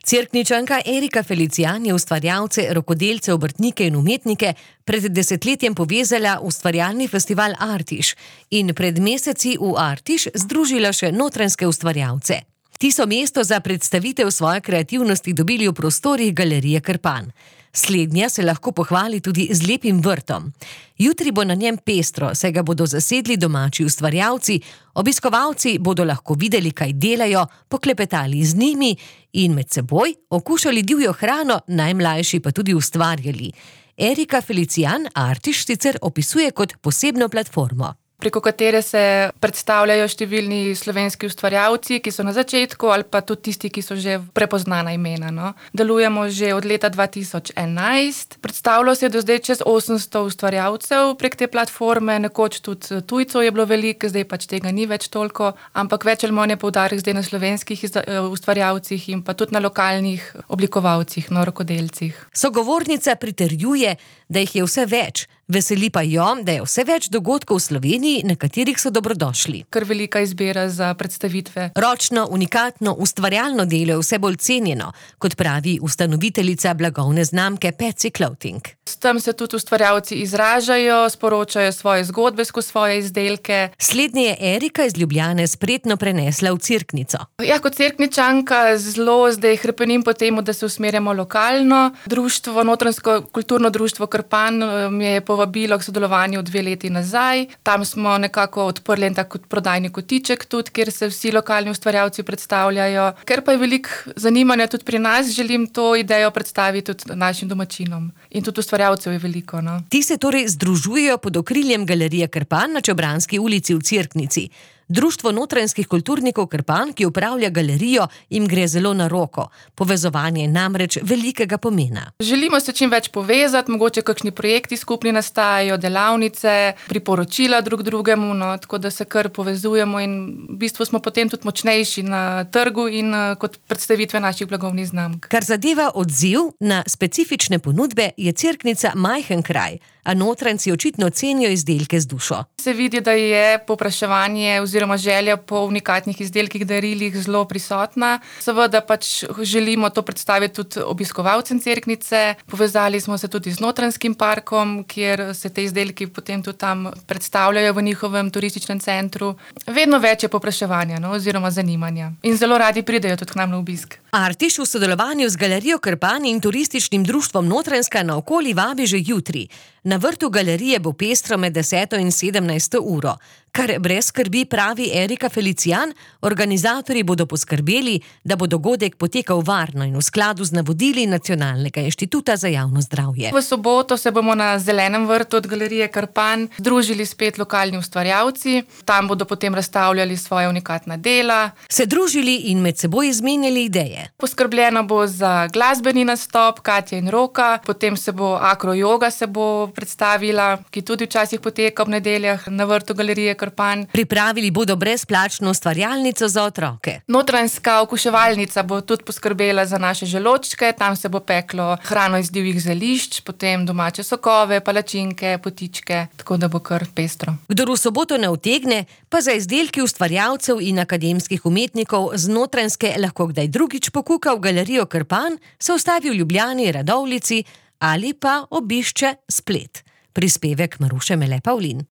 Cerkničanka Erika Felicijan je ustvarjalce, rokodelce, obrtnike in umetnike pred desetletjem povezala v ustvarjalni festival Artiš in pred meseci v Artiš združila še notranjske ustvarjalce. Ti so mesto za predstavitev svoje kreativnosti dobili v prostorih Galerije Krpan. Slednja se lahko pohvali tudi z lepim vrtom. Jutri bo na njem pestro, saj ga bodo zasedli domači ustvarjalci, obiskovalci bodo lahko videli, kaj delajo, poklepetali z njimi in med seboj okušali divjo hrano, najmlajši pa tudi ustvarjali. Erika Felicijan Artiš sicer opisuje kot posebno platformo, preko katere se predstavljajo številni slovenski ustvarjalci, ki so na začetku, ali pa tudi tisti, ki so že prepoznana imena. No. Delujemo že od leta 2011. Predstavilo se je do zdaj čez 800 ustvarjalcev prek te platforme, nekoč tudi tujcev je bilo veliko, zdaj pač tega ni več toliko, ampak več ali manj je poudarek zdaj na slovenskih ustvarjalcih in pa tudi na lokalnih oblikovalcih, rokodelcih. Sogovornica pritrjuje, da jih je vse več. Veseli pa jo, da je vse več dogodkov v Sloveniji, na katerih so dobrodošli. Kar velika izbira za predstavitve. Ročno, unikatno, ustvarjalno delo je vse bolj cenjeno, kot pravi ustanoviteljica blagovne znamke Petsy Clothing. S tem se tudi ustvarjalci izražajo, sporočajo svoje zgodbe skozi svoje izdelke. Slednje je Erika iz Ljubljane spretno prenesla v Cerknico. Ja, kot Cerkničanka zelo zdaj hrepenim po temu, da se usmerjamo lokalno. Društvo, Notranjsko kulturno društvo Krpan mi je povabilo k sodelovanju 2 leti nazaj. Tam smo nekako odprli en tak prodajni kotiček tudi, kjer se vsi lokalni ustvarjalci predstavljajo. Ker pa je veliko zanimanja tudi pri nas, želim to idejo predstaviti tudi našim domačinom. In tudi ustvarjalcev je veliko. No. Ti se torej združujejo pod okriljem Galerije Krpan na Čobranski ulici v Cerknici. Društvo notranjskih kulturnikov Krpan, ki upravlja galerijo, jim gre zelo na roko. Povezovanje je namreč velikega pomena. Želimo se čim več povezati, mogoče kakšni projekti skupni nastajajo, delavnice, priporočila drug drugemu, tako da se kar povezujemo in v bistvu smo potem tudi močnejši na trgu in kot predstavitve naših blagovnih znamk. Kar zadeva odziv na specifične ponudbe, je Cerknica majhen kraj, a notranjci očitno cenijo izdelke z dušo. Se vidi, da je povpraševanje oziroma želja po unikatnih izdelkih, darilih zelo prisotna. Seveda pač želimo to predstaviti tudi obiskovalcem Cerknice. Povezali smo se tudi z Notranjskim parkom, kjer se te izdelki potem tudi tam predstavljajo v njihovem turističnem centru. Vedno več je povpraševanja oziroma zanimanja. In zelo radi pridejo tudi k nam na obisk. Artiš v sodelovanju z Galerijo Krpan in turističnim društvom Notranjska naokoli vabi že jutri. Na vrtu galerije bo pestro med 10. in 17. uro. Kar brez skrbi, pravi Erika Felicijan, organizatorji bodo poskrbeli, da bo dogodek potekal varno in v skladu z navodili Nacionalnega inštituta za javno zdravje. V soboto se bomo na Zelenem vrtu od Galerije Krpan združili spet lokalni ustvarjalci. Tam bodo potem razstavljali svoje unikatna dela. Se družili in med seboj izmenjali ideje. Poskrbljeno bo za glasbeni nastop Katja in Roka, potem se bo akrojoga se bo predstavila, ki tudi včasih poteka ob nedeljah na vrtu Galerije Krpan. Pripravili bodo brezplačno ustvarjalnico za otroke. Notranjska okuševalnica bo tudi poskrbela za naše želočke, tam se bo peklo hrano iz divjih zelišč, potem domače sokove, palačinke, potičke, tako da bo kar pestro. Kdor v soboto ne utegne, pa za izdelki ustvarjalcev in akademskih umetnikov z Notranjske lahko kdaj drugič pokuka v Galerijo Krpan, se ustavi v Ljubljani, Radovljici ali pa obišče splet. Prispevek Maruše Mele Pavlin.